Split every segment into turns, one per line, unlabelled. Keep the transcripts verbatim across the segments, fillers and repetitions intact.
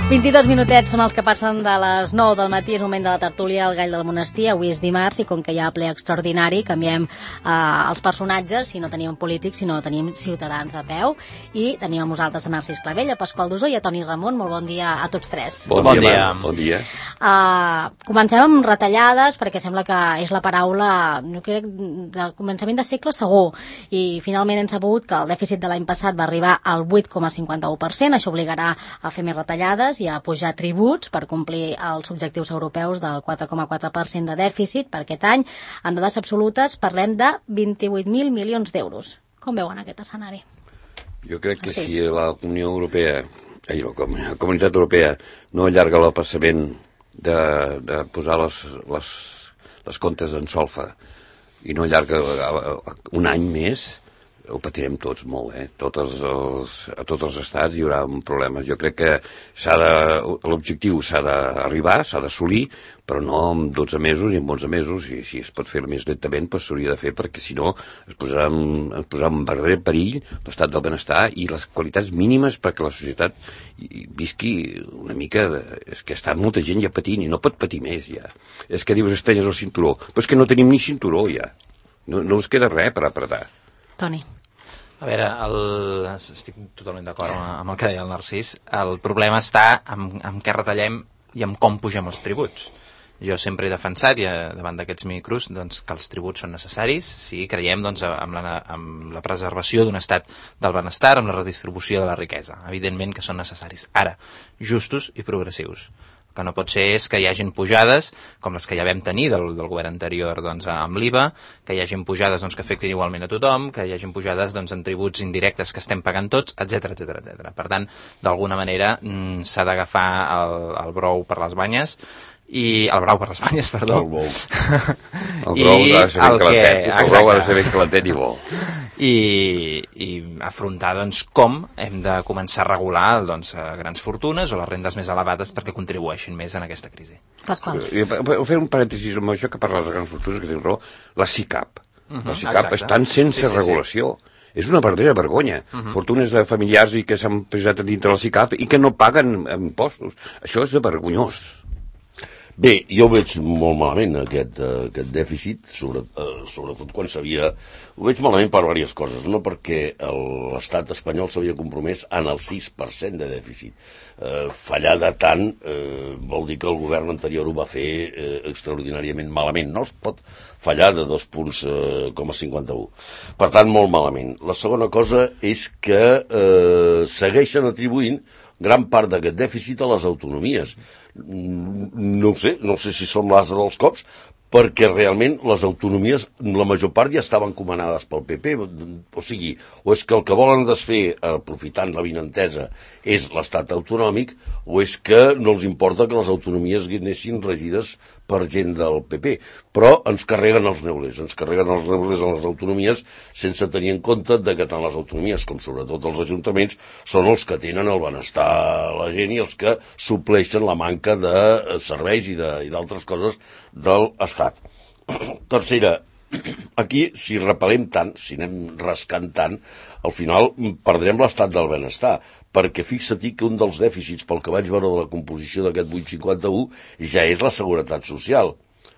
vint-i-dos minutets són els que passen de les nou del matí, és moment de la tertúlia al Gall del Monestir. Avui és dimarts i com que hi ha ple extraordinari canviem eh, els personatges, si no teníem polítics, sinó tenim ciutadans de peu, i tenim amb nosaltres a Narcís Clavell, a Pasqual Dusó i a Toni Ramon. Molt bon dia a tots tres.
Bon, bon dia. dia. Bon dia.
Uh, comencem amb retallades, perquè sembla que és la paraula, jo crec, de començament de segle segur, i finalment hem sabut que el dèficit de l'any passat va arribar al vuit coma cinquanta-u per cent, això obligarà a fer més retallades i a pujar tributs per complir els objectius europeus del quatre coma quatre per cent de dèficit per aquest any. En dades absolutes parlem de vint-i-vuit mil milions d'euros. Com veuen aquest escenari?
Jo crec que sí. Si la Unió Europea, ai, la Comunitat Europea no allarga l'apassament de, de posar les, les, les comptes en solfa i no allarga un any més, ho patirem tots molt, eh? Tots els, a tots els estats hi haurà un problema. Jo crec que s'ha de, l'objectiu s'ha d'arribar, s'ha d'assolir, però no en dotze mesos i en onze mesos, i si es pot fer més lentament, doncs s'hauria de fer, perquè si no es posarà en, es posarà en verdader perill l'estat del benestar i les qualitats mínimes perquè la societat visqui una mica... De, és que està molta gent ja patint i no pot patir més, ja. És que dius estrelles al cinturó, però és que no tenim ni cinturó, ja. No, no us queda res per apretar.
Toni.
A veure, el... estic totalment d'acord amb el que deia el Narcís. El problema està en, en què retallem i en com pugem els tributs. Jo sempre he defensat, i davant d'aquests micros, doncs, que els tributs són necessaris si creiem doncs, amb, la, amb la preservació d'un estat del benestar, amb la redistribució de la riquesa. Evidentment que són necessaris. Ara, justos i progressius. El que no pot ser és que hi hagin pujades, com les que ja vam tenir del, del govern anterior doncs, amb l'I V A, que hi hagin pujades doncs, que afectin igualment a tothom, que hi hagin pujades doncs, en tributs indirectes que estem pagant tots, etcètera, etcètera, etcètera. Per tant, d'alguna manera s'ha d'agafar el, el brou per les banyes, i el brau per les banyes, perdó.
El brou. El brou ha de ser ben clatet, el brou ha de ser ben clatet i bo.
I, i afrontar doncs, com hem de començar a regular doncs, grans fortunes o les rendes més elevades perquè contribueixin més en aquesta crisi.
Pasqual.
Vull fer un parèntesis amb això que parles de grans fortunes, que tens raó. La SICAP. Uh-huh, la SICAP exacte. Estan sense sí, sí, regulació. Sí. És una verdadera vergonya. Uh-huh. Fortunes de familiars i que s'han posat dintre la SICAP i que no paguen impostos. Això és de vergonyós.
Bé, jo ho veig molt malament, aquest, uh, aquest dèficit, sobre, uh, sobretot quan s'havia... Ho veig malament per diverses coses, no perquè l'estat espanyol s'havia compromès en el sis per cent de dèficit. Uh, fallar de tant uh, vol dir que el govern anterior ho va fer uh, extraordinàriament malament. No es pot fallar de dos punts coma cinquanta-u. Per tant, molt malament. La segona cosa és que uh, segueixen atribuint gran part d'aquest dèficit a les autonomies. No ho sé, no sé si són l'ase dels cops, perquè realment les autonomies, la major part ja estaven comanades pel P P, o sigui, o és que el que volen desfer, aprofitant la vinentesa, és l'estat autonòmic, o és que no els importa que les autonomies anessin regides per gent del P P, però ens carreguen els neulers, ens carreguen els neulers a les autonomies sense tenir en compte de que tant les autonomies com sobretot els ajuntaments són els que tenen el benestar a la gent i els que supleixen la manca de serveis i d'altres coses de l'estat. Tercera, aquí, si repel·lem tant, si anem rascant tant, al final perdrem l'estat del benestar, perquè fixa't que un dels dèficits, pel que vaig veure de la composició d'aquest vuit coma cinquanta-u, ja és la seguretat social.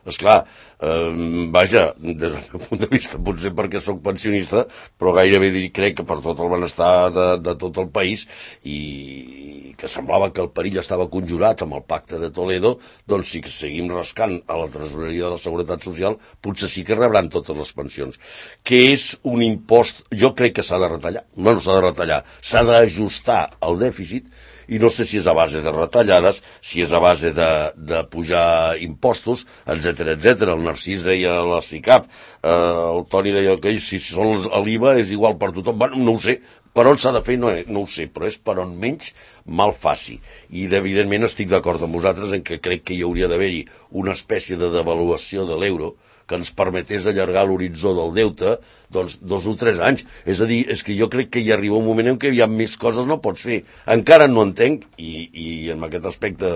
Esclar, eh, vaja, des del meu punt de vista, potser perquè sóc pensionista, però gairebé crec que per tot el benestar de, de tot el país, i que semblava que el perill estava conjurat amb el pacte de Toledo, doncs si seguim rascant a la tresoreria de la Seguretat Social, potser sí que rebran totes les pensions. Que és un impost, jo crec que s'ha de retallar, no, no s'ha de retallar, s'ha d'ajustar el dèficit, i no sé si és a base de retallades, si és a base de, de pujar impostos, etcètera, etcètera. El Narcís deia la SICAP, eh, el Toni deia que si són l'I V A és igual per tothom. Bueno, no ho sé, per on s'ha de fer no, no ho sé, però és per on menys mal faci. I evidentment estic d'acord amb vosaltres en que crec que hi hauria d'haver-hi una espècie de devaluació de l'euro que ens permetés allargar l'horitzó del deute doncs dos o tres anys. És a dir, és que jo crec que hi arriba un moment en què hi ha més coses no pots fer. Encara no entenc, i, i en aquest aspecte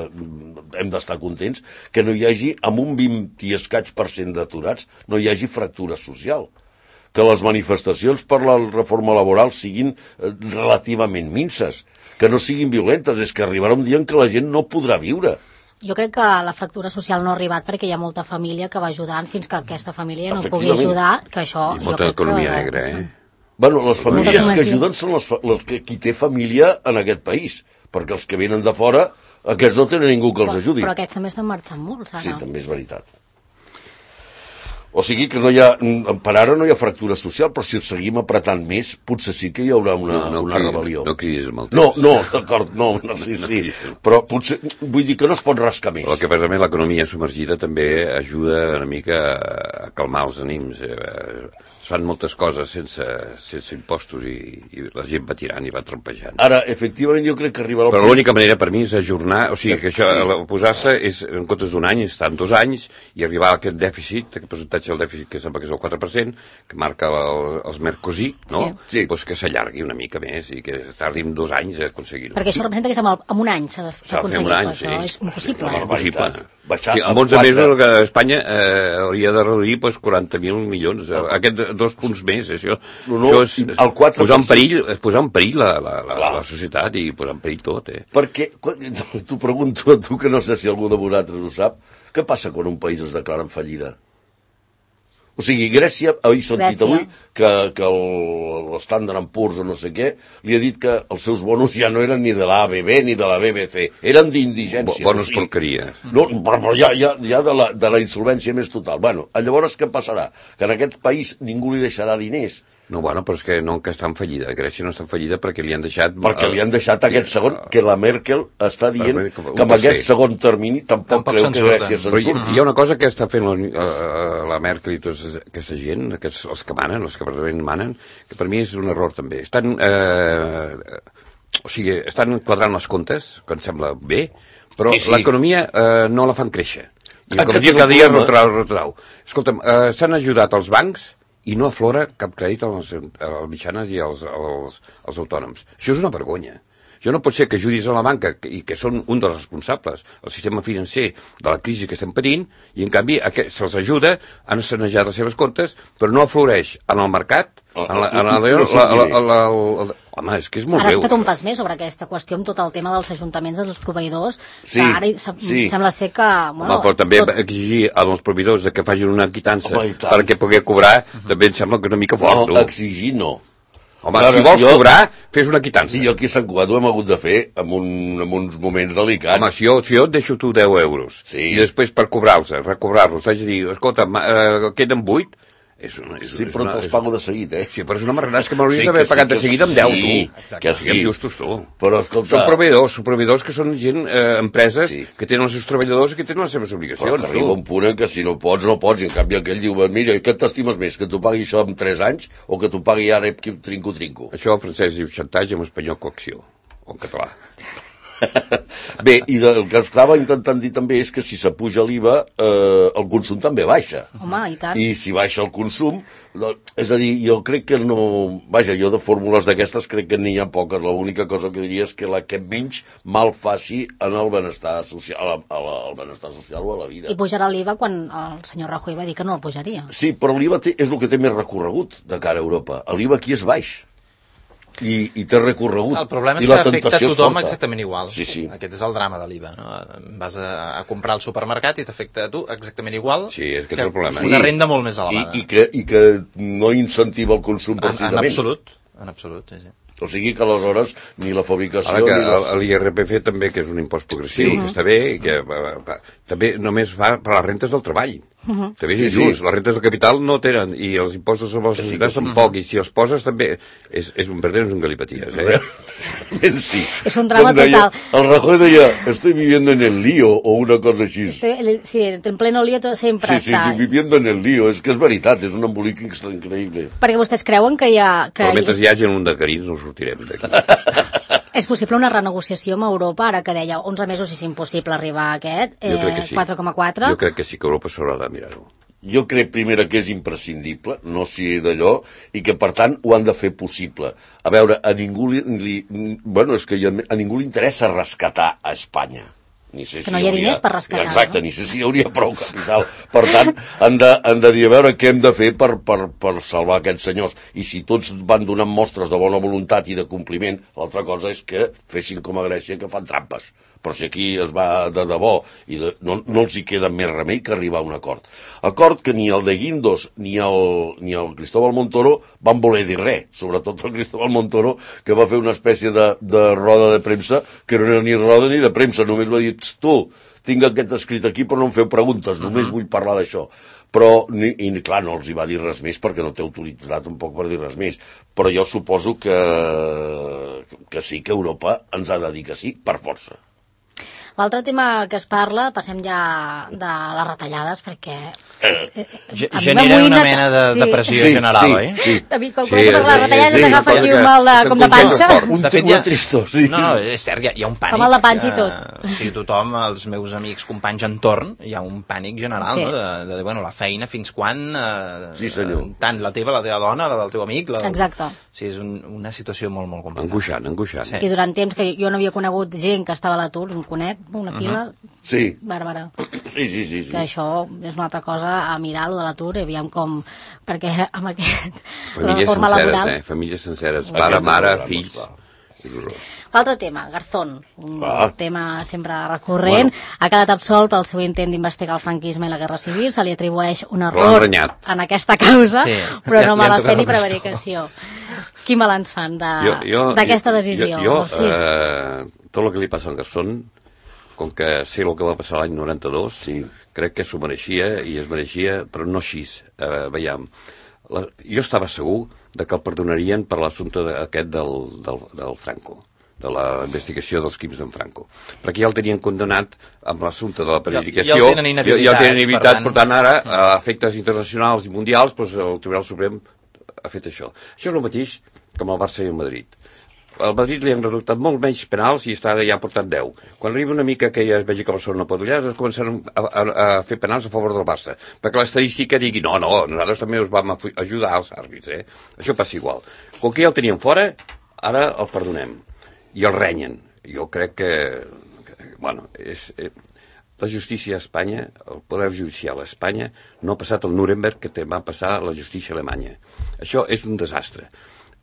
hem d'estar contents, que no hi hagi, amb un vint i escaig per cent d'aturats, no hi hagi fractura social. que les manifestacions per la reforma laboral siguin relativament minces, que no siguin violentes. És que arribarà un dia en què la gent no podrà viure.
Jo crec que la fractura social no ha arribat perquè hi ha molta família que va ajudant fins que aquesta família no pugui ajudar, que això...
I molta economia que... negra, eh?
Bueno, les famílies que ajuden són les, les que, qui té família en aquest país, perquè els que venen de fora, aquests no tenen ningú que els ajudi.
Però aquests també estan marxant molt, Sara.
Sí, també és veritat. O sigui que no hi ha, per ara no hi ha fractura social, però si seguim apretant més, potser sí que hi haurà una, no, no una cridis, rebel·lió.
No cridis amb el temps.
No, no, d'acord, no, no, sí, sí, però potser, vull dir que no es pot rascar més.
El que passa també l'economia submergida també ajuda una mica a calmar els ànims. Es fan moltes coses sense, sense impostos i, i la gent va tirant i va trompejant.
Ara, efectivament, jo crec que arribarà...
Però l'única manera per mi és ajornar, o sigui, que això, sí. posar-se és, en comptes d'un any, estar en dos anys i arribar a aquest dèficit, aquest percentatge del dèficit que sembla que és el quatre per cent, que marca el, els Mercosí, no?
Sí.
Pues que s'allargui una mica més i que tardi en dos anys a aconseguir-ho.
Perquè això representa que en un any s'ha d'aconseguir, però
sí.
això és impossible.
No, és impossible.
Sí,
en onze mesos que Espanya eh, hauria de reduir pues, quaranta mil milions. Aquests dos punts més, això,
no, no,
això és
el quatre per cent...
posar en perill, posar en perill la, la, la, la societat i posar en perill tot. Eh.
Perquè, t'ho pregunto a tu, que no sé si algú de vosaltres ho sap, què passa quan un país es declara en fallida? O sigui, Grècia, he sentit avui que, que l'Standard and Poor's o no sé què, li ha dit que els seus bonos ja no eren ni de l'A B B ni de la B B C, eren d'indigència.
Bonos o sigui, porqueries.
No, però, però ja, ja, ja de, la, de la insolvència més total. Bueno, llavors què passarà? Que en aquest país ningú li deixarà diners.
No, bueno, però és que no que està en fallida. Grècia no està en fallida perquè li han deixat...
Perquè li han deixat aquest segon, que la Merkel està dient que amb aquest segon termini tampoc, tampoc creu que Grècia se'n surti.
Hi ha una cosa que està fent la, la Merkel i tota aquesta gent, aquests, els que manen, els que realment manen, que per mi és un error també. Estan, eh, o sigui, estan quadrant els comptes, que em sembla bé, però sí, sí. l'economia eh, no la fan créixer. I l'economia cada dia retrau, retrau. Escolta'm, eh, s'han ajudat els bancs i no aflora cap crèdit a les, a les mitjanes i als, als, als autònoms. Això és una vergonya. Això no pot ser que ajudis a la banca, i que són un dels responsables, el sistema financer de la crisi que estem patint, i en canvi se'ls ajuda, han sanejat les seves comptes, però no afloreix en el mercat, en la, en la, la, la, la, la, la, home, és que és molt
Ara
greu.
has fet un pas més sobre aquesta qüestió amb tot el tema dels ajuntaments dels proveïdors,
sí,
que ara
sí.
sembla ser que... Bueno,
home, però també
tot...
exigir als proveïdors que facin una quitança perquè pugui cobrar, uh-huh. també em sembla que una mica fort.
No, exigir no.
Home, Clar, si vols jo, cobrar, fes una quitança.
I jo aquí a Sant Cugat ho hem hagut de fer en, un, en uns moments delicats.
Home, si jo, si jo et deixo tu deu euros, sí. i després per cobrar-los, recobrar-los, t'haig de dir, escolta, eh, queden vuit, és una, és,
sí, però
és una,
te'ls pago de seguit, eh?
Sí, però és una marranada, és que m'hauries sí, d'haver pagat sí, de seguida amb deu,
sí,
tu.
Exacte. Que sí.
Justos, tu.
Però, escolta...
Són proveïdors, són proveïdors que són gent, eh, empreses, sí. que tenen els seus treballadors i que tenen les seves obligacions.
Però que arriba un punt en què si no pots, no pots, i en canvi aquell diu, mira, què t'estimes més, que t'ho pagui això en tres anys o que t'ho pagui ara trinco-trinco?
Això en francès diu xantatge, en espanyol coacció, o en català.
Bé, i el que estava intentant dir també és que si s'apuja l'I V A, eh, el consum també baixa.
Home, i tant.
I si baixa el consum, és a dir, jo crec que no... Vaja, jo de fórmules d'aquestes crec que n'hi ha poques. L'única cosa que diria és que la que menys mal faci en el benestar social, a la, a la, al benestar social o a la vida.
I pujarà l'I V A quan el senyor Rajoy va dir que no el pujaria.
Sí, però l'I V A té, és el que té més recorregut de cara a Europa. L'I V A aquí és baix. I, i té recorregut.
El problema és
I
que afecta a tothom
és
exactament igual.
Sí, sí.
Aquest és el drama de l'I V A. No? Vas a, a comprar al supermercat i t'afecta a tu exactament igual
sí, és que, que és el problema.
una renda molt més elevada.
I, i, que, i que no incentiva el consum precisament.
En, en absolut. En absolut, sí, sí.
O sigui que aleshores ni la fabricació...
Ara que
ni les...
l'I R P F també, que és un impost progressiu, sí. que està bé, i que va, va, també només va per les rentes del treball. Uh-huh. També és
sí,
injust,
sí.
les rentes del capital no tenen, i els impostos sobre les societats sí, tampoc, uh-huh. i si els poses també, és, és un perdent, és un galipaties, eh?
Sí.
És un drama
deia,
total.
El Rajoy deia, estoy viviendo en el lío, o una cosa així.
Sí, en pleno lío tot sempre
sí,
està.
Sí, viviendo en el lío, és que és veritat, és un embolic increïble.
Perquè vostès creuen que hi ha... Que
Però mentre
és...
hi hagi un de carins no sortirem d'aquí.
És possible una renegociació amb Europa, ara que deia onze mesos és impossible arribar a aquest, eh,
sí.
quatre coma quatre?
Jo crec que sí que Europa s'haurà de mirar-ho.
Jo crec, primera, que és imprescindible, no sigui d'allò, i que, per tant, ho han de fer possible. A veure, a ningú li... li bueno, és que a ningú li interessa rescatar a Espanya. Ni sé
que
si
no hi ha diners per rescatar.
Exacte,
no?
ni sé si hi hauria prou capital. Per tant, han de, han de dir a veure què hem de fer per, per, per salvar aquests senyors. I si tots van donant mostres de bona voluntat i de compliment, l'altra cosa és que fessin com a Grècia, que fan trampes. Però si aquí es va de debò i de, no, no els hi queda més remei que arribar a un acord. Acord que ni el de Guindos ni el, ni el Cristóbal Montoro van voler dir res, sobretot el Cristóbal Montoro, que va fer una espècie de, de roda de premsa, que no era ni roda ni de premsa, només va dir, tu, tinc aquest escrit aquí però no em feu preguntes, només vull parlar d'això. Però, ni, i clar, no els hi va dir res més perquè no té autoritat tampoc per dir res més. Però jo suposo que, que sí, que Europa ens ha de dir que sí, per força.
L'altre tema que es parla, passem ja de les retallades, perquè...
Eh, genera una mena de, sí. de pressió sí, general,
sí,
oi?
Sí,
a mi, quan sí, comença a parlar de retallades, sí, t'agafa aquí un mal de, com de panxa.
Un, de fet, ja... tristor, sí.
No, no, és cert, hi ha, hi ha un pànic.
Com el de panxa i tot.
O sigui, tothom, els meus amics, companys entorn, hi ha un pànic general, sí. no? De, de, bueno, la feina, fins quan... Eh,
sí, senyor.
Tant la teva, la teva dona, la del teu amic... La...
Exacte.
O sigui, és un, una situació molt, molt complicada.
Angoixant, angoixant.
Sí. I durant temps que jo no havia conegut gent que estava a l'atur, un conec, una pila... Uh -huh.
Sí.
Bàrbara.
Sí, sí, sí, sí.
Que això és una altra cosa a mirar, lo de l'atur, aviam com... Perquè amb aquest...
Famílies
forma
senceres,
laboral...
eh? Famílies senceres. Pare, mare, fills...
L'altre tema, Garzón, un
ah.
tema sempre recurrent, bueno. ha quedat absolt pel seu intent d'investigar el franquisme i la Guerra Civil, se li atribueix un error en aquesta causa, sí. però no mala fe ni prevaricació. Quin balanç fan d'aquesta de, decisió?
Jo, jo eh, tot el que li passa al Garzón, com que sé el que va passar l'any noranta-dos, sí. crec que s'ho mereixia i es mereixia, però no així. Eh, veiem, la, jo estava segur de que el perdonarien per l'assumpte aquest del, del, del Franco, de la investigació dels crims d'en Franco. Perquè ja el tenien condemnat amb l'assumpte de la prevaricació.
Ja, ja el tenen inhabilitat.
Ja el tenen inhabilitat, per tant, ara, a efectes internacionals i mundials, doncs, el Tribunal Suprem ha fet això. Això és el mateix com el Barça i el Madrid. Al Madrid li han redactat molt menys penals i està ja portant deu. Quan arriba una mica que ja es vegi que Barcelona no pot guanyar, es començaran a, a, a fer penals a favor del Barça. Perquè l'estadística digui, no, no, nosaltres també us vam ajudar als àrbits, eh? Això passa igual. Com que ja el tenien fora, ara el perdonem. I el renyen. Jo crec que, que bueno, és... Eh, la justícia a Espanya, el poder judicial a Espanya, no ha passat el Nuremberg que va passar la justícia alemanya. Això és un desastre.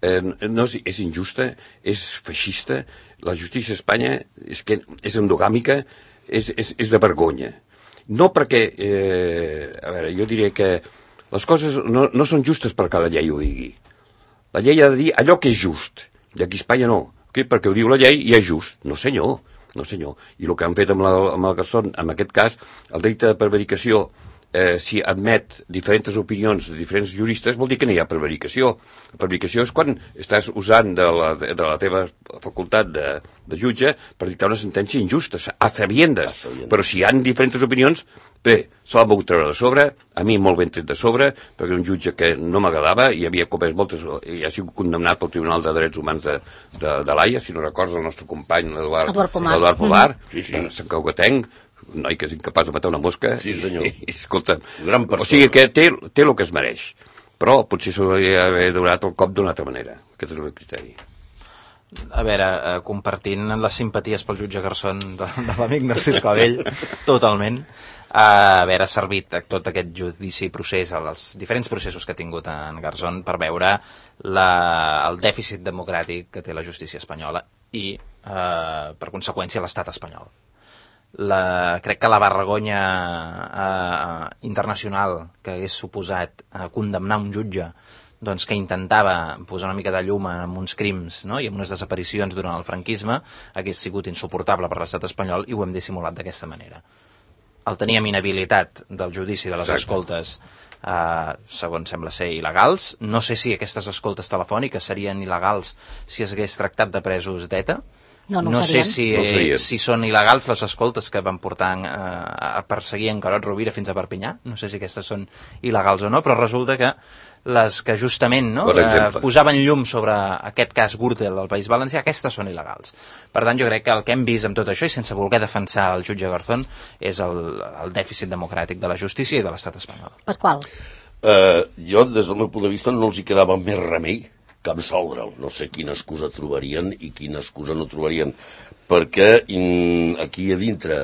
Eh, no és, és injusta, és feixista, la justícia a Espanya és, que és endogàmica, és, és, és de vergonya. No perquè, eh, a veure, jo diria que les coses no, no són justes per cada llei ho digui. La llei ha de dir allò que és just, i aquí a Espanya no, okay? Perquè ho diu la llei i és just. No senyor, no senyor. I el que han fet amb, la, amb el Garzón, en aquest cas, el delicte de prevaricació, Eh, si admet diferents opinions de diferents juristes, vol dir que no hi ha prevaricació. La prevaricació és quan estàs usant de la, de la teva facultat de, de jutge per dictar una sentència injusta, a sabiendes. Però si hi ha diferents opinions, bé, se l'ha pogut treure de sobre, a mi molt ben tret de sobre, perquè un jutge que no m'agradava i havia comès moltes, i ha sigut condemnat pel Tribunal de Drets Humans de, de, de l'Haia, si no recordes el nostre company, l'Eduard Pomar, Pomar mm. sí, sí. Sant Caugatenc, un noi que és incapaç de matar una mosca.
Sí, senyor.
I, escolta, o sigui que té, té el que es mereix. Però potser s'hauria d'haver donat el cop d'una altra manera. Aquest és el meu criteri.
A veure, eh, compartint les simpaties pel jutge Garzón de, de l'amic Narcís Clavell, totalment, eh, haver servit tot aquest judici procés, els diferents processos que ha tingut en Garzón per veure la, el dèficit democràtic que té la justícia espanyola i, eh, per conseqüència, l'estat espanyol. La, crec que la vergonya eh, internacional que hagués suposat eh, condemnar un jutge doncs, que intentava posar una mica de llum en uns crims, no? I en unes desaparicions durant el franquisme hagués sigut insuportable per l'estat espanyol i ho hem dissimulat d'aquesta manera. El teníem inhabilitat del judici de les Exacte. escoltes eh, segons sembla ser il·legals. No sé si aquestes escoltes telefòniques serien il·legals si es hagués tractat de presos d'ETA.
No, no,
no sé si,
no
si són il·legals les escoltes que van portar eh, a perseguir en Carod Rovira fins a Perpinyà. No sé si aquestes són il·legals o no, però resulta que les que justament no, eh, posaven llum sobre aquest cas Gürtel al País Valencià, aquestes són il·legals. Per tant, jo crec que el que hem vist amb tot això, i sense voler defensar el jutge Garzón, és el, el dèficit democràtic de la justícia i de l'estat espanyol.
Pasqual.
Uh, jo, des del meu punt de vista, no els hi quedava més remei que absoldre'l. No sé quina excusa trobarien i quina excusa no trobarien, perquè in, aquí a dintre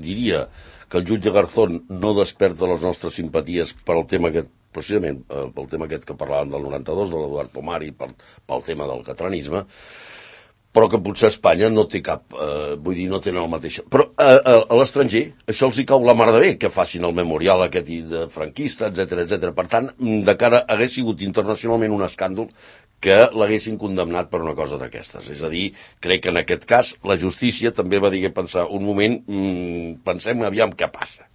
diria que el jutge Garzón no desperta les nostres simpaties pel tema aquest, precisament pel tema aquest que parlàvem del noranta-dos, de l'Eduard Pomari, pel, pel tema del catalanisme, però que potser Espanya no té cap, eh, vull dir, no tenen el mateix. Però eh, a l'estranger això els hi cau la mar de bé, que facin el memorial aquest de franquista, etcètera, etcètera. Per tant, de cara hagués sigut internacionalment un escàndol que l'haguessin condemnat per una cosa d'aquestes. És a dir, crec que en aquest cas la justícia també va dir que pensar un moment, mmm, pensem aviam què passa.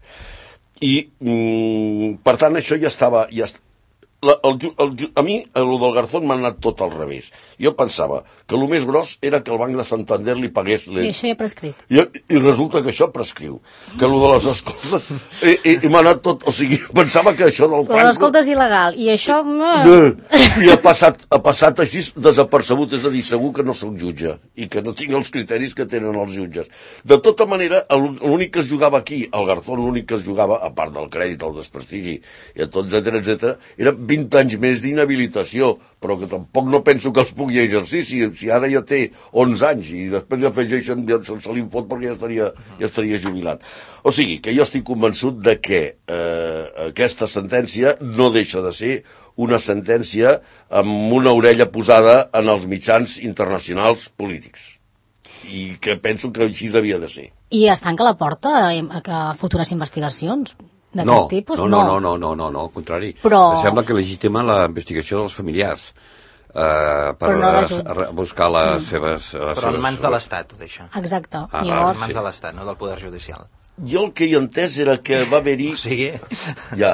I, mmm, per tant, això ja estava... Ja est... La, el, el, a mi, el del Garzón m'ha anat tot al revés. Jo pensava que el més gros era que el Banc de Santander li pagués... Les...
I això ja prescrit.
I, I resulta que això prescriu. Que el de les escoltes... I, i, i m'ha anat tot... O sigui, pensava que això del Franco...
L'escolta és il·legal. I això...
No, I ha passat, ha passat així desapercebut. És a dir, segur que no soc jutge i que no tinc els criteris que tenen els jutges. De tota manera, l'únic que es jugava aquí, el Garzón, l'únic que es jugava, a part del crèdit, el desprestigi, i tot, etcètera, etcètera, era vint anys més d'inhabilitació, però que tampoc no penso que els pugui exercir, si, si ara ja té onze anys i després ja afegeixen, ja se li fot perquè ja estaria, ja estaria jubilat. O sigui, que jo estic convençut de que eh, aquesta sentència no deixa de ser una sentència amb una orella posada en els mitjans internacionals polítics. I que penso que així devia de ser.
I es tanca la porta a, a futures investigacions?
No,
tipus?
no, no, no, no, no, no, no, al contrari.
Però...
Sembla que legitima la investigació dels familiars eh, per
no
a, a buscar les mm. seves... Les
Però
seves...
en mans de l'Estat, ho deixa.
Exacte.
Ah,
Llavors...
En mans de l'Estat, no del Poder Judicial.
Jo el que hi he entès era que va haver-hi...
O sigui...
Ja.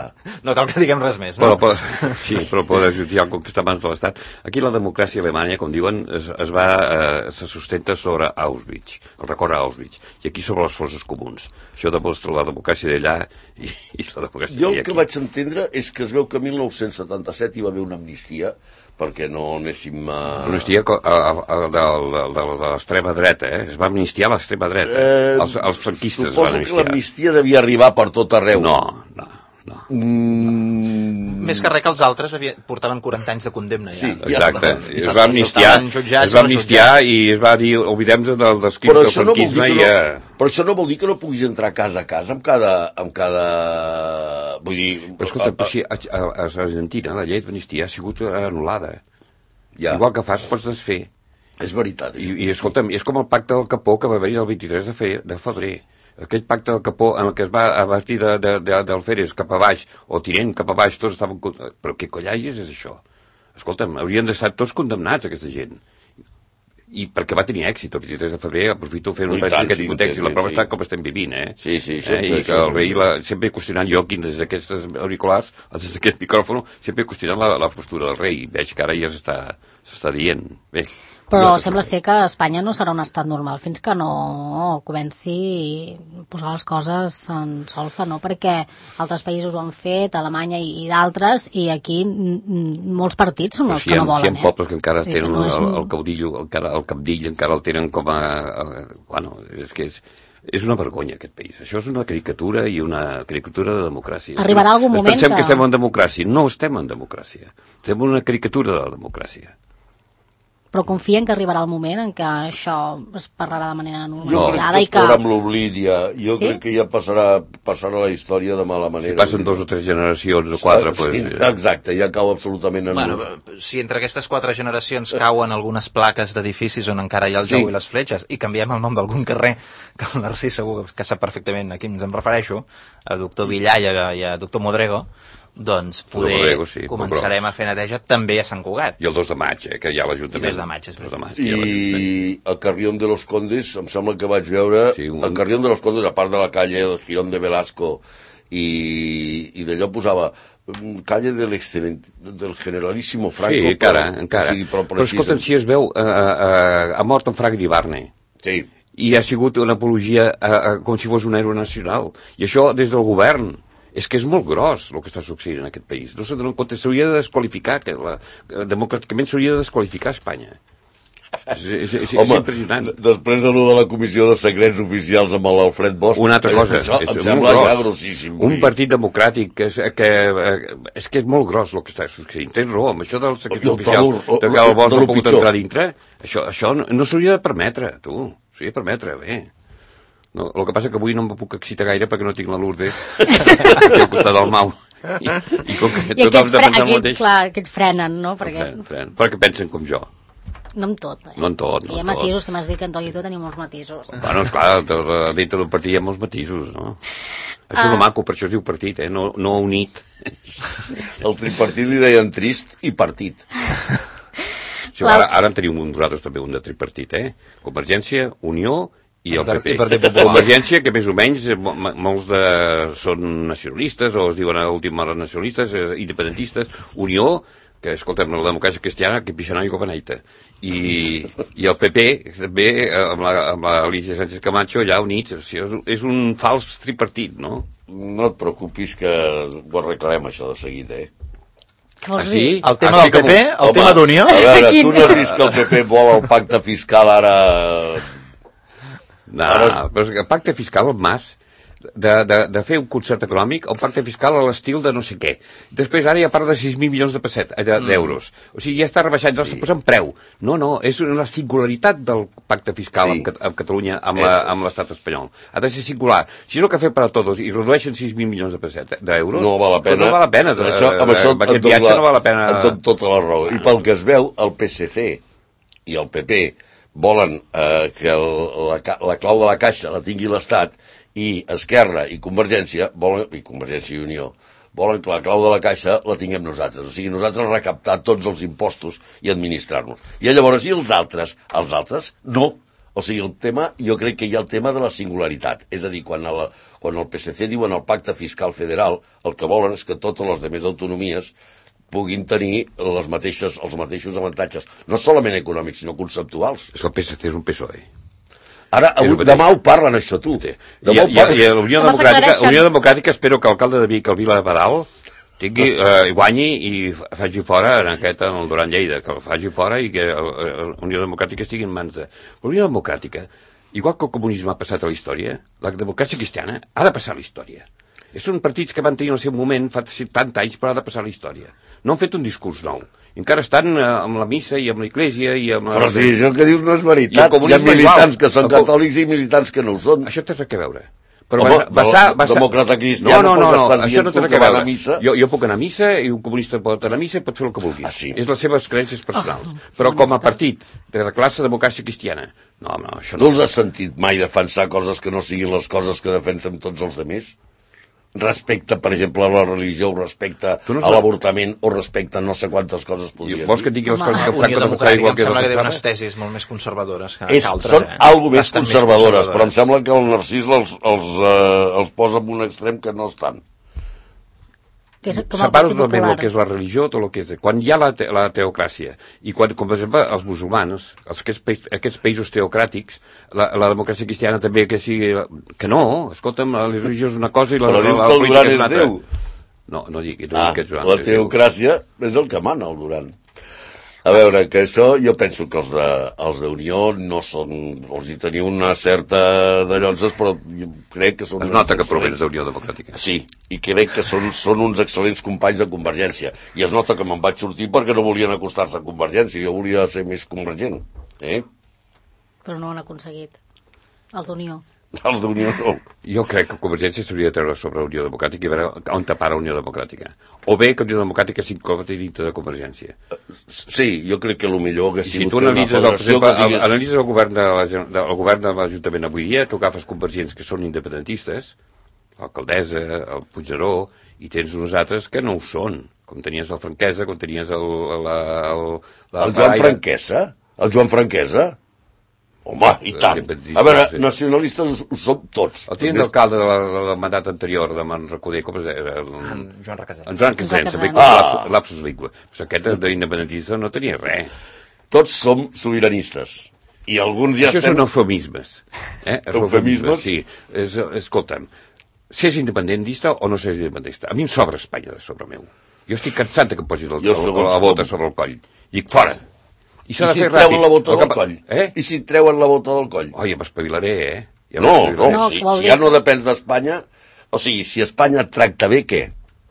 No cal que diguem res més, no?
Però, però, sí, però el Poder Judicial, com que està a mans de l'Estat... Aquí la democràcia alemanya, com diuen, es, es va, eh, se sustenta sobre Auschwitz, el record a Auschwitz, i aquí sobre les forces comuns. Això demostra la democràcia d'allà i, i la democràcia
jo
d'aquí.
el que vaig entendre és que es veu que a mil nou-cents setanta-set hi va haver una amnistia perquè no anéssim a...
Amnistia a, a, a, de, de, de, de l'extrema dreta, eh? Es va amnistiar l'extrema dreta. Eh, els, els franquistes es van amnistiar.
Suposo que l'amnistia devia arribar per tot arreu.
No, no, no.
Mm...
Més que res que els altres havia, portaven quaranta anys de condemna, ja.
Sí,
exacte.
Ja.
Es va amnistiar, es va amnistiar i es va dir, oblidem-nos del, dels crims del franquisme
no
i ja...
No, però això no vol dir que no puguis entrar casa a casa amb cada... Amb cada... Vull dir...
Però escolta, a, a, a, a Argentina la llei d'amnistia ha sigut anul·lada.
Ja.
Igual que fas, pots desfer.
És veritat. És...
I, I escolta'm, és com el pacte del Capó que va haver-hi el vint-i-tres de, fe, de febrer. Aquell pacte del Capó en el que es va a partir de, de, de, del Férez cap a baix, o Tinent cap a baix, tots estaven... Però què collalles és això? Escolta'm, haurien d'estar tots condemnats, aquesta gent. I perquè va tenir èxit el vint-i-tres de febrer, aprofito fer un
I
repàs en aquest
sí,
context, i la prova
sí.
està com estem vivint, eh?
Sí, sí,
eh? I que el rei, la, sempre qüestionant jo, quin des d'aquestes auriculars, des d'aquest micròfon, sempre qüestionant la, la postura del rei. Veig que ara ja s'està s'està dient. Bé.
Però sembla ser que Espanya no serà un estat normal fins que no comenci a posar les coses en solfa, no? Perquè altres països ho han fet, Alemanya i, i d'altres, i aquí molts partits són els
si
que no volen.
Si hi ha pobles que encara
sí,
tenen
no
el,
un...
el caudillo, encara, el capdill encara el tenen com a... a bueno, és que és... És una vergonya, aquest país. Això és una caricatura i una caricatura de democràcia.
Arribarà algun moment
pensem
que...
que estem en democràcia. No estem en democràcia. Estem en una caricatura de la democràcia.
Però confien que arribarà el moment en què això es parlarà de manera
Jo
normalitzada
crec que
i que...
estarà amb l'oblit ja. Jo
sí?
crec que ja passarà, passarà la història de mala manera.
Si passen dos o tres generacions o quatre...
Sí,
pues...
exacte, ja cau absolutament en...
Bueno, si entre aquestes quatre generacions cauen algunes plaques d'edificis on encara hi ha el
sí.
jou i les fletxes i canviem el nom d'algun carrer, que el Narcís segur que sap perfectament a qui ens em refereixo, a doctor Villà i a, i a doctor Modrego, doncs poder
Modrego, sí,
començarem a fer neteja també a Sant Cugat.
I el dos de maig, eh, que hi ha l'Ajuntament.
I dos de maig, és veritat.
I el Carrión de los Condes, em sembla que vaig veure, sí, un... el Carrión de los Condes, a part de la calle del Girón de Velasco, i, i d'allò posava calle del, del generalíssimo Franco.
Sí, encara, però, encara. O sigui, però, però escolta'm, si es veu, eh, eh, ha mort en Frank Ibarne.
Sí.
I ha sigut una apologia eh, eh, com si fos un héroe nacional. I això des del govern. És que és molt gros el que està succeint en aquest país. No s'ha compte, s'hauria de desqualificar, que la, democràticament s'hauria de desqualificar Espanya. És, és, és,
Home,
és impressionant.
Després de lo de la comissió de secrets oficials amb l'Alfred Bosch...
Una altra cosa,
això,
és,
em
és
sembla
molt
ja
gros.
grossíssim.
Un partit democràtic que és, que, és que és molt gros el que està succeint. Tens raó, amb això dels secrets oficials, de que el Bosch no ha pogut entrar dintre, això, això no, no s'hauria de permetre, tu. S'hauria de permetre, bé. No, el que passa que avui no em puc excitar gaire perquè no tinc la Lourdes aquí al costat del Mau. I, i com que
I
tothom
fre
defensa el
aquest,
mateix...
clar, aquests frenen, no? Perquè...
Fren, fren, perquè pensen com jo.
No en tot, eh?
No en tot, no
hi ha
en tot.
matisos que m'has dit que en tot i tot tenim molts matisos.
Bueno, esclar, dintre del partit hi ha molts matisos, no? Això és
Ah.
el maco, per això es diu partit, eh? No, no unit.
El tripartit li deien trist i partit.
Sí, ara, ara en tenim un, nosaltres també un de tripartit, eh? Convergència, Unió i el P P.
I Partit Popular.
Convergència, que més o menys eh, mo- molts de, són nacionalistes, o es diuen a l'última hora nacionalistes, eh, independentistes. Unió, que escolta'm, la democràcia cristiana, que pixanà i copaneita. I, i el P P, també, eh, amb la, amb la Alicia Sánchez Camacho, allà units. O sigui, és, és un fals tripartit, no?
No et preocupis que ho arreglarem això de seguida, eh?
Què vols
Ah, sí?
dir?
El tema del P P, el
Home,
tema d'Unió...
A veure,
Quin-
tu no has vist que el P P vol el pacte fiscal ara...
No,
Ara-
però és que el pacte fiscal, el Mas, de, de, de fer un concert econòmic, el pacte fiscal a l'estil de no sé què. Després ara ja parla de sis mil milions de pesset, eh, d'euros. Mm. O sigui, ja està rebaixant, ja sí. Està posant preu. No, no, és una singularitat del pacte fiscal
Sí.
amb, Cat- amb Catalunya, amb,
Eso
la,
es.
amb l'estat espanyol. Ha de ser singular. Si és el que ha fet per a tots i redueixen sis mil milions de pesset d'euros,
No val la pena.
no val la pena.
Amb això, amb això
amb aquest
et dono
viatge no val la pena.
et dono tota la raó. I pel que es veu, el P S C i el P P volen eh, que el, la, ca- la clau de la caixa la tingui l'Estat, i Esquerra i Convergència volen, i Convergència i Unió volen que la clau de la caixa la tinguem nosaltres. O sigui, nosaltres recaptar tots els impostos i administrar-nos. I llavors, i els altres? Els altres, no. O sigui, el tema, jo crec que hi ha el tema de la singularitat. És a dir, quan el, quan el P S C diuen el pacte fiscal federal, el que volen és que totes les demés autonomies puguin tenir les mateixes, els mateixos avantatges, no solament econòmics, sinó conceptuals.
És que el P S C és un P S O E.
Ara,
És el
avui,
mateix.
demà ho parlen, això, tu.
Sí. I,
Demà ho
i,
parlen.
i la Unió
Demà
Democràtica,
s'aclareixen.
la Unió Democràtica espero que l'alcalde de Vic, el Vila Badal, tingui, eh, guanyi i faci fora en aquest, en el Duran Lleida, que el faci fora i que el- el- la Unió Democràtica estigui en mans de... La Unió Democràtica, igual que el comunisme ha passat a la història, la democràcia cristiana ha de passar a la història. Són partits que van tenir el seu moment fa setanta anys, però ha de passar a la història. No han fet un discurs nou. Encara estan eh, amb la missa i amb l'església i amb...
Però
la...
si això que dius no és
I el
veritat. Hi ha
comunisme
militants
igual.
que són
El co-
catòlics i militants que no ho són.
Això té res a veure. Però
Home,
va, basar,
no,
basar...
demòcrata cristià
no, no,
no
no,
pot
no,
estar
això
dient
no té
tu
res
que
a
va a
veure.
la missa.
Jo, jo puc anar a missa i un comunista pot anar a missa i pot fer el que vulgui.
Ah, sí?
És les seves creences personals.
Oh,
Però com a partit de la classe democràcia cristiana, no, no, això
No
no.
els has sentit mai defensar coses que no siguin les coses que defensem tots els altres? Respecte, per exemple, a la religió, o respecte
Tu no
a
saps-
l'avortament, o respecte a no sé quantes coses
I
podries
vols que et
dir.
digui les
Home,
coses que
Unió
Franco defensava
Democràtica
igual
em
que
sembla que té
defensava?
unes tesis molt més conservadores que,
És,
que altres,
són
eh?
algo més
Bastant
conservadores, però em
conservadores.
sembla que el Narcís els, els, eh, els posa en un extrem que no estan.
Que és com el
Separo
Partit
totalment
Popular.
el que és la religió, tot el que és... Quan hi ha la, te la teocràcia, i quan, com per exemple, els musulmans, els, aquests, pa aquests països teocràtics, la, la democràcia cristiana també que sigui... Que no, escolta'm, la religió és una cosa i la,
Però
la,
dius
la,
que el
política
Duran
és una
és
altra.
Déu.
No, no digui, no
Ah,
digui que és Joan.
la
és Déu.
teocràcia és el que mana, el Duran. A veure, que això jo penso que els de, els d'Unió no són... Els hi teniu una certa de llonses, però jo crec que són...
Es nota que
uns
provens
excel·lents-
d'Unió Democràtica.
Sí, i crec que són, són uns excel·lents companys de Convergència. I es nota que me'n vaig sortir perquè no volien acostar-se a Convergència, jo volia ser més convergent. Eh?
Però no ho han aconseguit. Els d'Unió.
Els d'Unió no.
Jo crec que Convergència s'hauria de treure sobre la Unió Democràtica i veure on tapar la Unió Democràtica. O bé que la Unió Democràtica s'inclogui dintre de Convergència.
Sí, jo crec que el millor hagués
I si
sigut
tu
fer una
analitzes, el, per
federació
exemple,
que
el,
digués...
analitzes el govern de la, de, el govern de l'Ajuntament avui dia, tu agafes convergents que són independentistes, l'alcaldessa, el Puigneró, i tens uns altres que no ho són, com tenies el Franquesa, com tenies el... La, el, la,
El Joan Franquesa? El Joan Franquesa? Home, i tant. A veure, nacionalistes ho som tots.
El tinent d'alcalde de la, del mandat anterior de Manrecoder, com es deia? El,
En Joan Requesens.
en Joan Casens,
Casens.
ah.
Ah.
lapsus, lapsus lingua. Però aquest d'independentista no tenia res.
Tots som sobiranistes. I alguns ja
Això
estem...
són eufemismes. Eh?
Eufemismes?
Sí. És, escolta'm, s'és independentista o no s'és independentista? A mi em sobra Espanya de sobre meu. Jo estic cansat de que em posin el,
Jo
el,
segons
la bota
com.
sobre el coll. Dic, fora! I
I
s'ha de
si
fer
et treuen
ràpid.
la bota
El
del
que-
coll?
Eh?
I si et treuen la bota del coll?
Oh, ja m'espavilaré, eh? Ja
No, no,
m'espavilaré.
No,
si,
vol
si
dir
ja
que-
no depens d'Espanya... O sigui, si Espanya et tracta bé, què?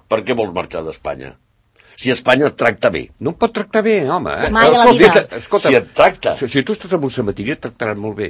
Per què vols marxar d'Espanya? Si Espanya et tracta bé.
No em pot tractar bé, home. Eh?
Mai a la
Escolta,
vida.
que- Escolta,
Si et tracta.
Si, si tu estàs en un cementiri et tractaran molt bé.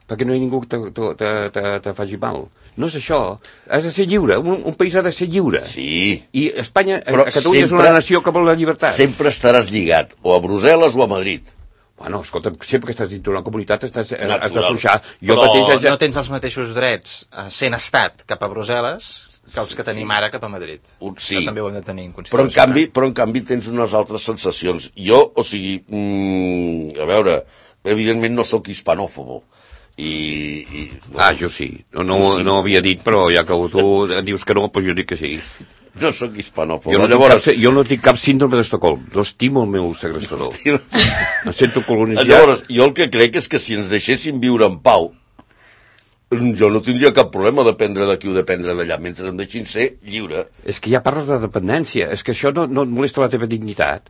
perquè no hi ha ningú que te, te, te, te faci mal. No és això. Has de ser lliure. Un, un país ha de ser lliure.
Sí.
I Espanya,
Però
a Catalunya sempre, és una nació que vol la llibertat.
Sempre estaràs lligat, o a Brussel·les o a Madrid.
Bueno, escolta, sempre que estàs dintre d'una comunitat estàs,
Natural.
has d'afluixar.
Però mateix, no tens els mateixos drets sent estat cap a Brussel·les que els que tenim sí. ara cap a Madrid.
Sí.
Això també ho hem de tenir en consideració.
Però en canvi, però en canvi tens unes altres sensacions. Jo, o sigui, mm, a veure, evidentment no sóc hispanòfobo. I, i, no.
Ah, jo sí. No, no, sí. no ho havia dit, però ja que tu dius que no, doncs jo dic que sí.
No sóc hispanòfob.
Jo no, Llavors... cap, jo no tinc cap síndrome d'Estocolm. No estimo el meu segrestador. Em sento colonitzat.
Llavors, jo el que crec és que si ens deixessin viure en pau, jo no tindria cap problema de prendre d'aquí o de prendre d'allà, mentre em deixin ser lliure.
És que ja parles de dependència. És que això no, no et molesta la teva dignitat.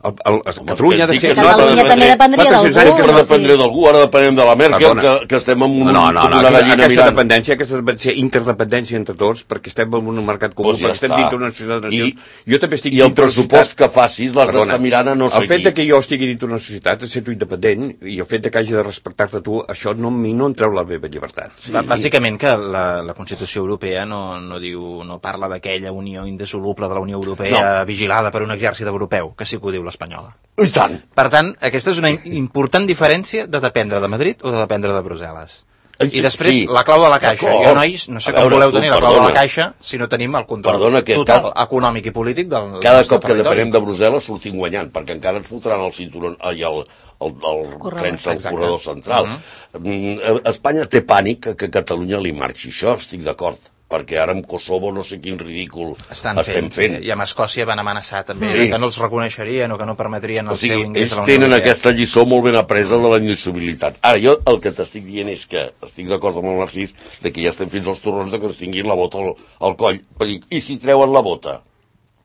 El, el, el, Catalunya ha de ser...
Catalunya no, també dependria d'algú.
Ara dependria d'algú, ara depenem de la Merkel, que, que estem en un,
no, no, no,
una gallina
aquesta
mirant.
Dependència, aquesta dependència, interdependència entre tots, perquè estem en un mercat comú,
pues ja
perquè estem dintre d'una societat de nacions.
I,
jo també estic
I el pressupost que facis l'has d'estar mirant a no sé
qui. El fet de que jo estigui dintre d'una societat, sento independent, i el fet de que hagi de respectar-te tu, això no, no em treu la meva llibertat.
Sí. Bàsicament que la, la Constitució Europea no, no, diu, no parla d'aquella unió indissoluble de la Unió Europea no. vigilada per un exèrcit europeu, que sí que ho diu l'espanyola.
I tant.
Per tant, aquesta és una important diferència de dependre de Madrid o de dependre de Brussel·les. I després, sí. la clau de la caixa. Jo, nois, no sé com voleu tenir la clau de la caixa si no tenim el control perdona, total, cada, econòmic i polític del, del
cada cop que depenem de Brussel·les sortim guanyant, perquè encara ens fotran el cinturó i el, el, el, el tren al corredor central. Uh -huh. Espanya té pànic que a Catalunya li marxi. Això estic d'acord. Perquè ara amb Kosovo no sé quin ridícul
estan estem fent. fent. I amb Escòcia van amenaçar també sí. que no els reconeixerien o que no permetrien el o sigui, seu ingrés a la Unió
Europea. Ells tenen aquesta lliçó molt ben apresa de la indissolubilitat. Ara, jo el que t'estic dient és que estic d'acord amb el Narcís de que ja estem fins als torrons de que es tinguin la bota al, al coll. I si treuen la bota?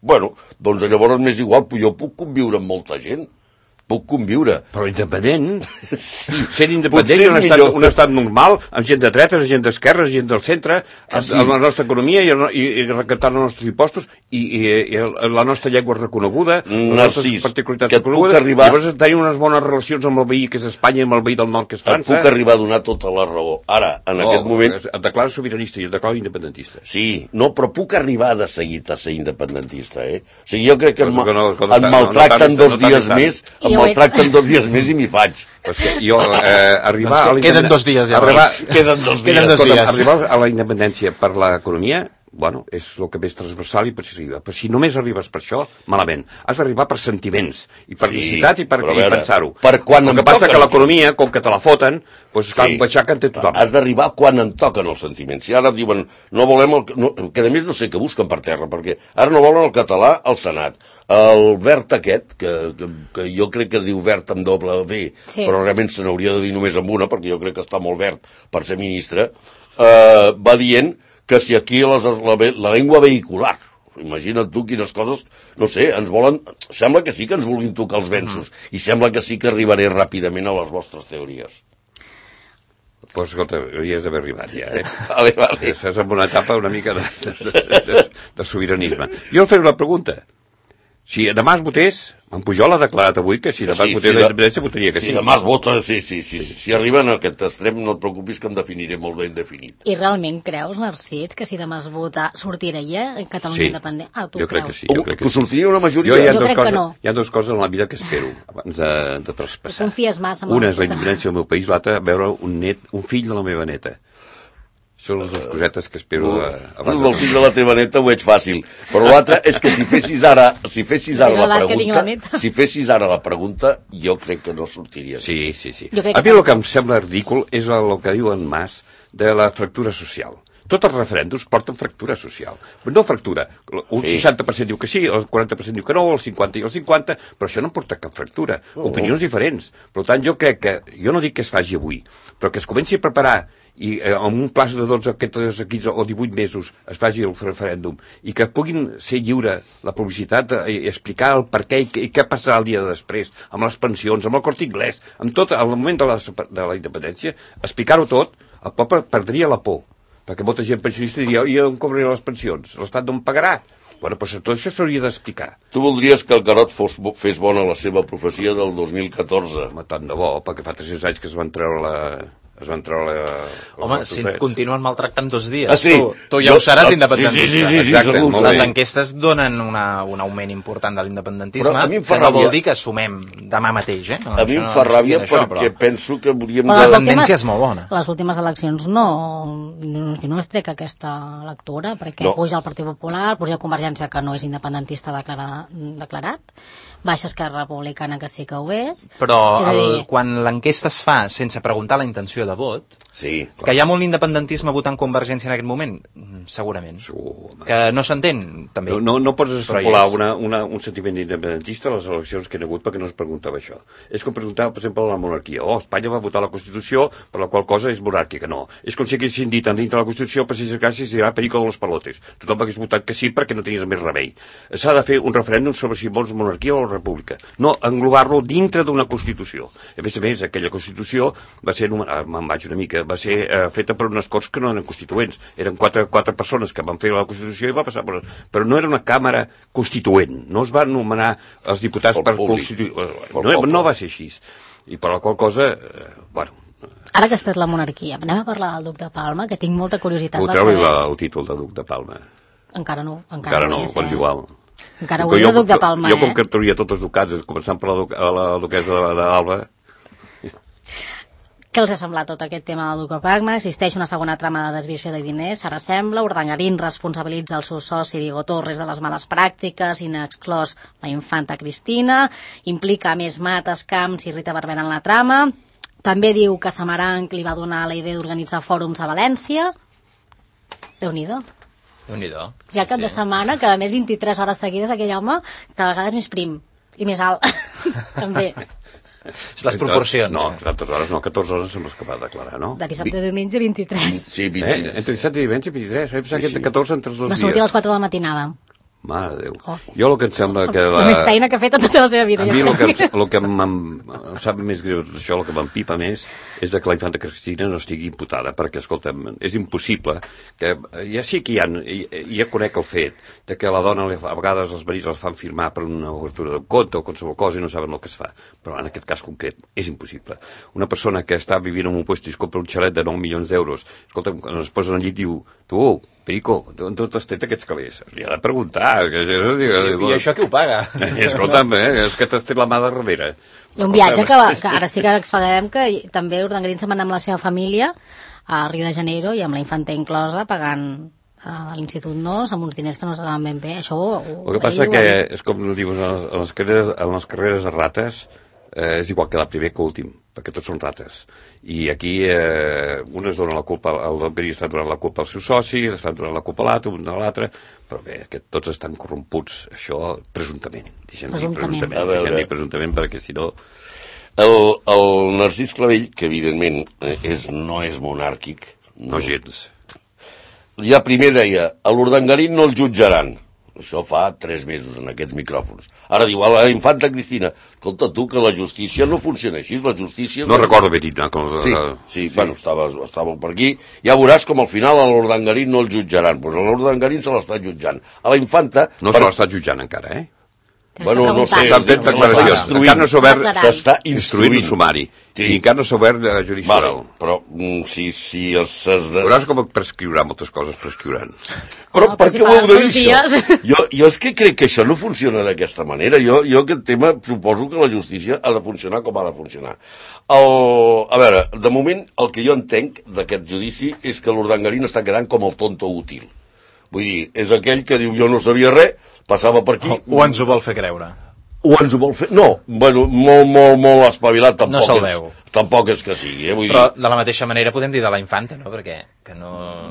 Bueno, doncs llavors m'és igual, jo puc conviure amb molta gent. Puc conviure.
Però independent, sí. sent independent, un estat, un estat normal, amb gent de dretes, gent d'esquerres, gent del centre, ah, sí. amb la nostra economia i, i, i recaptant els nostres impostos i, i, i la nostra llengua reconeguda, les nostres particularitats reconegudes, arribar... i llavors tenir unes bones relacions amb el veí que és Espanya i amb el veí del nord que és França.
Et puc arribar a donar tota la raó. Ara, en oh, aquest moment...
Et declares sobiranista i et declares independentista.
Sí, no, però puc arribar de seguit a ser independentista, eh? O sigui, jo crec que em,
que no, que no,
em maltracten no, no, no, dos dies més, em maltracten dos dies més i m'hi faig.
Pues que jo, eh, arribar
doncs que, queden dos dies ja.
Arribar,
queden dos dies.
Queden dos dies.
Arribar a la independència per l'economia, bueno, és el que més transversal i per si arriba. Però si només arribes per això, malament. Has d'arribar per sentiments, i per necessitat sí, i per pensar-ho.
Per quan
el que passa que l'economia, com que te la foten, doncs cal baixar que en té tothom.
Has d'arribar quan en toquen els sentiments. Si ara diuen, no volem el... No, que a més no sé què busquen per terra, perquè ara no volen el català al Senat. El verd aquest, que, que, que jo crec que es diu verd amb doble V, sí. però realment se n'hauria de dir només amb una, perquè jo crec que està molt verd per ser ministre, eh, va dient que si aquí les, la, la llengua vehicular, imagina't tu quines coses, no sé, ens volen, sembla que sí que ens vulguin tocar els venços, uh -huh. i sembla que sí que arribaré ràpidament a les vostres teories.
Doncs, pues, escolta, hauries d'haver arribat ja, eh? Vale, vale. Estàs en una etapa una mica de, de, de, de, de sobiranisme. Jo faré una pregunta. Si demà es votés, en Pujol ha declarat avui que si demà sí, es votés si la independència votaria que sí.
Si demà es vota, sí, sí, sí, sí. Si arriben a aquest extrem, no et preocupis que em definiré molt ben definit.
I realment creus, Narcís, que si demà es vota sortiria Catalunya
sí.
independent? Ah, tu
jo
creus?
crec que sí. Jo crec que,
que sortiria una majoria?
Jo, hi ha
jo crec
coses,
que no.
Hi ha dues coses en la vida que espero abans de, de traspassar.
Confies massa en
una és la independència del meu país, l'altra veure un net, un fill de la meva neta. Són les dues cosetes que espero... Uh,
abans el fill de la teva neta ho veig fàcil. Però l'altre és que si fessis ara, si fessis ara la pregunta, si fessis ara la pregunta, jo crec que no sortiria.
Sí, sí, sí. A mi el que em sembla ridícul és el que diu en Mas de la fractura social. Tots els referèndums porten fractura social. No fractura. Un sí. seixanta per cent diu que sí, el quaranta per cent diu que no, el cinquanta i el cinquanta, però això no porta cap fractura. Uh -huh. Opinions diferents. Per tant, jo crec que, jo no dic que es faci avui, però que es comenci a preparar i eh, en un plaç de dotze, quinze o divuit mesos es faci el referèndum i que puguin ser lliure la publicitat i explicar el per què i, i què passarà el dia de després, amb les pensions, amb el Corte Inglés, amb tot, al moment de la, de la independència, explicar-ho tot, el poble perdria la por, perquè molta gent pensionista diria, i on cobraré les pensions? L'Estat no em pagarà? Bueno, doncs tot això s'hauria d'explicar.
Tu voldries que el Carot fos, fes bona la seva profecia del dos mil catorze?
Home, tant de bo, perquè fa tres-cents anys que es van treure la... es van treure...
Home, si et continuen maltractant dos dies,
ah, sí.
tu, tu ja ho seràs independentista.
Sí, sí, sí, sí,
exacte,
segur.
Les enquestes donen una, un augment important de l'independentisme, que no vol dir que assumem demà mateix, eh? No,
a mi em fa ràbia perquè això, penso que hauríem
de... La tendència és molt bona.
Les últimes eleccions no, no, no es trec aquesta lectura, perquè no. Puja el Partit Popular, puja Convergència, que no és independentista declara, declarat, baixa Esquerra Republicana, que sí que ho és.
Però
és
el,
dir...
quan l'enquesta es fa sense preguntar la intenció de vot,
sí,
que hi ha molt independentisme votant Convergència en aquest moment, segurament.
Segur,
que no s'entén, també.
No, no, no pots extrapolar una, una, un sentiment independentista a les eleccions que hi ha hagut perquè no es preguntava això. És com preguntava, per exemple, a la monarquia. Oh, Espanya va votar la Constitució, per la qual cosa és monàrquica. No. És com si haguessin dit dintre de la Constitució, per si gràcies, dirà perico de los palotes. Tothom hagués votat que sí perquè no tenies més remei. S'ha de fer un referèndum sobre si vols monarquia o república. No englobar-lo dintre d'una Constitució. A més a més, aquella Constitució va ser, me'n vaig una mica, va ser eh, feta per unes Corts que no eren constituents. Eren quatre, quatre persones que van fer la Constitució i va passar per... Però no era una càmera constituent. No es van nomenar els diputats per constituir... No, no va ser així. I per la qual cosa, eh, bueno...
Ara que has tret la monarquia, anem a parlar del Duc de Palma, que tinc molta curiositat.
Puc treure saber... el títol de Duc de Palma?
Encara no. Encara,
encara no,
és,
doncs eh? igual.
Encara ho és de Duc de Palma,
jo,
eh?
Jo com que trauria tots els ducats, començant per la, duc, la duquesa d'Alba...
Què els ha semblat tot aquest tema del Duc de Palma? Existeix una segona trama de desviació de diners, ara sembla. Urdangarín responsabilitza el seu soci Diego Torres de les males pràctiques, inexclòs la infanta Cristina, implica més Mates, Camps i Rita Barberà en la trama. També diu que Samaranch li va donar la idea d'organitzar fòrums a València. Déu-n'hi-do.
Déu-n'hi-do.
Hi ha cap sí, de setmana que a més vint-i-tres hores seguides aquell home cada vegada és més prim i més alt. També.
Les proporcions.
No, catorze hores, no, catorze hores som els que va declarar, no?
De dissabte a diumenge, vint-i-tres.
Sí, vint-i-tres.
Eh? Entre dissabte i diumenge, vint-i-tres. He pensat que entre catorze entre els dos
dies. Va
dies.
sortir a les quatre de la matinada.
Mare de Déu. Oh. Jo el que em sembla que...
La... La més feina que ha fet a tota la seva vida.
A mi el que, el que em, em sap més greu d'això, el que m'empipa més, és de que la infanta Cristina no estigui imputada, perquè, escolta'm, és impossible que... Ja sí que hi ha, ja conec el fet de que a la dona a vegades els marits els fan firmar per una obertura d'un compte o qualsevol cosa i no saben el que es fa. Però en aquest cas concret és impossible. Una persona que està vivint en un lloc i es compra un xalet de nou milions d'euros, escolta'm, quan es posa al llit diu, tu, Perico, d'on t'has tret aquests calés? Li ha de preguntar. Que,
I, I això qui ho paga?
Escolta'm, eh, és que t'has tret la mà de darrere.
I un viatge que, va, que ara sí que explicarem que també Urdangarín se'n va anar amb la seva família a Rio de Janeiro i amb la infanta inclosa pagant a l'Institut Nos amb uns diners que no saben ben bé. Això ho, ho,
el que passa que és com dius, en les carreres, en les carreres de rates eh, és igual quedar primer que últim, perquè tots són rates. I aquí eh, un es dona la culpa, el Urdangarín està donant la culpa al seu soci, està donant la culpa a l'altre, un a l'altre, però bé, que tots estan corromputs, això presumptament. Deixem
presumptament.
Dir presumptament, deixem dir presumptament, perquè si no...
El, el Narcís Clavell, que evidentment és, no és monàrquic...
No, no gens.
Ja primer deia, a l'Urdangarín no el jutjaran. Això fa tres mesos en aquests micròfons. Ara diu, a la infanta Cristina, escolta tu, que la justícia no funciona així, la justícia...
No recordo bé dit, no? Com...
Sí, sí, sí, bueno, estava, estava per aquí. Ja veuràs com al final a l'Urdangarín no el jutjaran. Doncs a l'Urdangarín se l'està jutjant. A la infanta...
No per... se l'està jutjant encara, eh?
Bueno, no sé,
encara no s'ha obert,
s'està instruint
un sumari, sí. I encara no s'ha obert de judici oral.
Vale, però mm, si, si els... Ses de...
Veuràs com prescriurà, moltes coses prescriuran.
Però no, per què ho heu de dir, això? Jo, jo és que crec que això no funciona d'aquesta manera. Jo, jo aquest tema suposo que la justícia ha de funcionar com ha de funcionar. El, a veure, de moment el que jo entenc d'aquest judici és que l'Urdangarín està quedant com el tonto útil. Vull dir, és aquell que diu jo no sabia res, passava per aquí...
O, o ens ho vol fer creure.
O ens ho vol fer... No, bueno, molt, molt, molt espavilat tampoc,
no se'l veu.
És, tampoc és que sigui. Eh? Vull
però
dir...
de la mateixa manera podem dir de la infanta, no? Perquè que no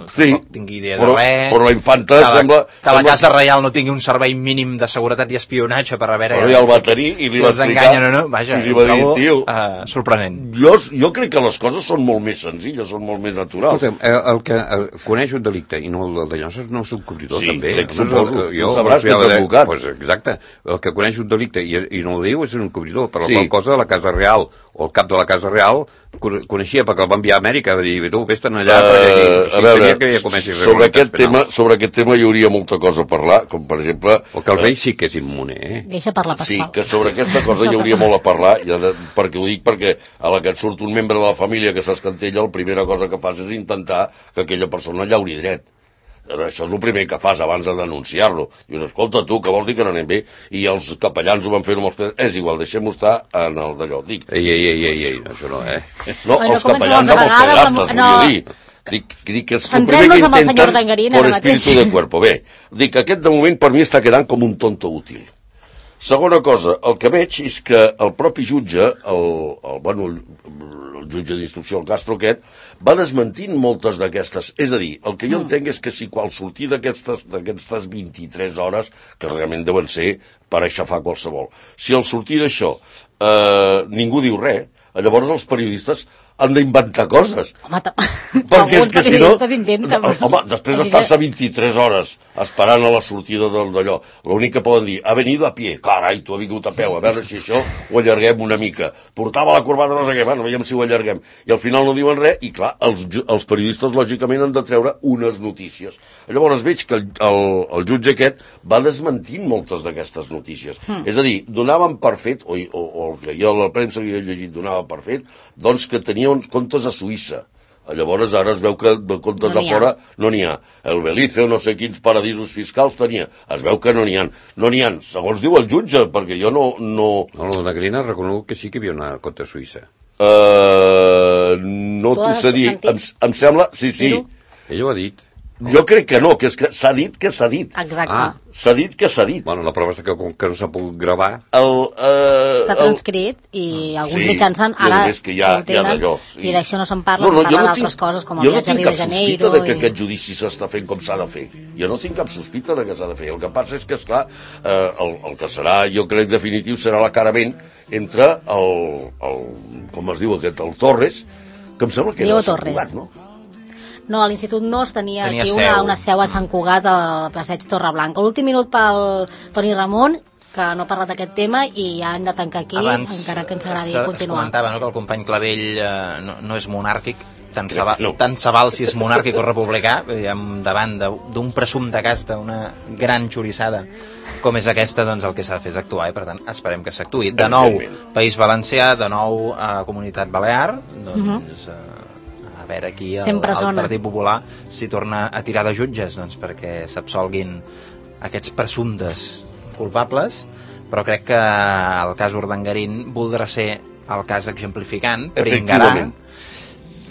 sí,
tingui idea
però,
de res.
Però la infanta
que la,
sembla...
Que la
sembla...
Casa Reial no tingui un servei mínim de seguretat i espionatge per a veure...
Però ja el va tenir i li
si
va
els enganyen o no. Vaja,
i li va dir, tio...
Uh, sorprenent.
Jo, jo crec que les coses són molt més senzilles, són molt més naturals.
Escolta'm, el, el que el, coneix un delicte i no el de Llosses no és un cobridor,
sí,
també.
Sí, crec, suposo.
Jo
sabràs que ets advocat.
Pues, exacte. El que coneix un delicte i, i no el diu és un cobridor, per la
sí.
qual cosa la Casa Real o el cap de la Casa Real, coneixia perquè el va enviar a Amèrica, va dir, tu, vés-te'n allà, uh, perquè aquí,
a veure, que sobre aquest, tema, sobre aquest tema hi hauria molta cosa a parlar, com per exemple...
O que el rei sí que és immune, eh?
Deixa parlar, Pasqual.
Sí, que sobre aquesta cosa hi hauria molt a parlar, de, perquè ho dic perquè a la que et surt un membre de la família que s'escantella, la primera cosa que fas és intentar que aquella persona llauri dret. Això és el primer que fas abans de denunciar-lo. Dius, escolta tu, que vols dir que no anem bé? I els capellans ho van fer amb els pedres. És igual, deixem-ho estar en el d'allò. Dic.
Ei, ei, ei, ei, ei, això no, eh?
No, no els capellans amb els pedrastes, no. Volia dir. Dic, dic que és el primer que intenten por espíritu de cuerpo. Bé, dic, aquest de moment per mi està quedant com un tonto útil. Segona cosa, el que veig és que el propi jutge, el, el, bueno, el jutge d'instrucció, el Castro aquest, va desmentint moltes d'aquestes. És a dir, el que jo entenc és que si qual sortir d'aquestes vint-i-tres hores, que realment deuen ser per aixafar qualsevol, si al sortir d'això eh, ningú diu res, llavors els periodistes han d'inventar coses.
Home,
perquè és que si no...
Inventen,
home, després d'estar-se vint-i-tres hores esperant a la sortida d'allò, l'únic que poden dir, ha venido a pie, carai, tu ha vingut a peu, a veure si això ho allarguem una mica. Portava la corbata, no sé què, bueno, veiem si ho allarguem. I al final no diuen res, i clar, els, els periodistes lògicament han de treure unes notícies. Llavors veig que el, el, el jutge aquest va desmentint moltes d'aquestes notícies. Mm. És a dir, donaven per fet, o, o, o el que jo a la premsa havia llegit donava per fet, doncs que tenia uns comptes a Suïssa. Llavors ara es veu que de comptes no a fora no n'hi ha. El Belize o no sé quins paradisos fiscals tenia. Es veu que no n'hi ha. No n'hi ha, segons diu el jutge, perquè jo no... No,
no la Negrina ha reconegut que sí que hi havia una compte a Suïssa.
Uh, no t'ho sé dir. Em, em sembla... Sí, sí.
Ell ho ha dit.
Jo crec que no, que és que s'ha dit que s'ha dit.
Exacte.
Ah.
S'ha dit que s'ha dit.
Bueno, la prova és que com que no s'ha pogut gravar...
El, uh,
Està transcrit i alguns
sí,
mitjans ara
que ja,
ho tenen
ja sí.
I d'això no se'n parla,
no, no,
se'n parla
no
d'altres
tinc,
coses com el viatge a Rio de Janeiro.
Jo no tinc cap sospita de que
i...
aquest judici s'està fent com s'ha de fer. Jo no tinc cap sospita de que s'ha de fer. El que passa és que, esclar, eh, el, el que serà, jo crec, definitiu, serà l'acarament entre el, el, com es diu aquest, el Torres, que em sembla que
Diego
era
Torres.
Cugat, no?
No, a l'Institut Nos tenia,
tenia
aquí
seu.
una, una seu a Sant Cugat al passeig Torreblanca. L'últim minut pel Toni Ramon, que no ha parlat d'aquest tema i ja hem de tancar aquí,
abans,
encara que ens agradaria continuar.
Es comentava, no?, que el company Clavell eh, no, no és monàrquic, tant se, va,
no.
tant se val si és monàrquic o republicà, davant d'un presumpte cas d'una gran xorissada com és aquesta, doncs el que s'ha de fer és actuar i per tant esperem que s'actuï. De nou País Valencià, de nou a eh, Comunitat Balear, doncs uh-huh. eh, a veure aquí el, el Partit Popular si torna a tirar de jutges, doncs perquè s'absolguin aquests presumptes culpables, però crec que el cas Urdangarín voldrà ser el cas exemplificant, pringarà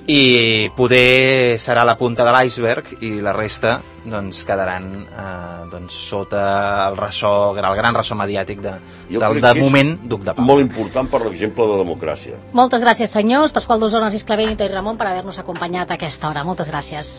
i poder serà la punta de l'iceberg i la resta doncs quedaran eh, doncs, sota el ressò, el gran ressò mediàtic de, del de moment Duc de Palma.
Molt important per l'exemple de democràcia.
Moltes gràcies, senyors. Pasqual D'Osona, Narcís Clavell i Toni Ramon per haver-nos acompanyat a aquesta hora. Moltes gràcies.